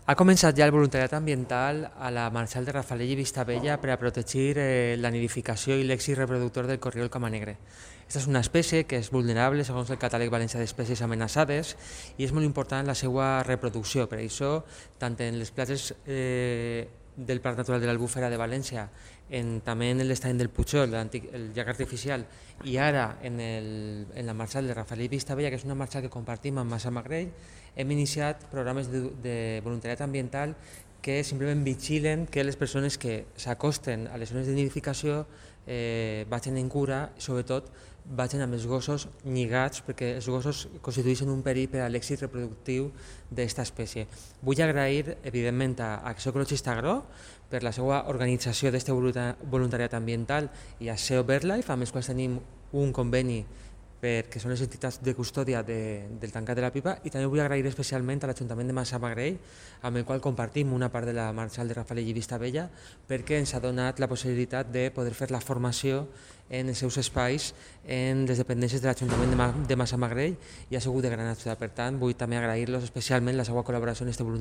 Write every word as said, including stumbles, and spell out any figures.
Ha començat ja el voluntariat ambiental a la Marxal de Rafalell i Vistabella per a protegir eh, la nidificació i l'èxit reproductor del corriol camanegre. Aquesta és una espècie que és vulnerable segons el catàleg valencià d'espècies amenaçades i és molt important la seva reproducció. Per això, tant en les platges eh, del Parc Natural de l'Albufera de València, en, també en l'estany del Pujol, el llac artificial, i ara en, el, en la Marxal de Rafalell i Vistabella, que és una marxal que compartim amb Massamagrell, hem iniciat programes de, de voluntariat ambiental que simplement vigilen que les persones que s'acosten a les zones de nidificació eh, vagin en cura i sobretot vagin amb els gossos lligats perquè els gossos constitueixen un perill per a l'èxit reproductiu d'aquesta espècie. Vull agrair evidentment a Acció Ecologista Agro per la seva organització d'aquest voluntariat ambiental i a S E O BirdLife, amb els quals tenim un conveni perquè són les entitats de custòdia de, del tancat de la pipa, i també vull agrair especialment a l'Ajuntament de Massamagrell, amb el qual compartim una part de la Marxal de Rafalell i Vistabella, perquè ens ha donat la possibilitat de poder fer la formació en els seus espais en les dependències de l'Ajuntament de, Ma de Massamagrell, i ha sigut de gran ajuda. Per tant, vull també agrair-los especialment la seva col·laboració en aquest voluntariat.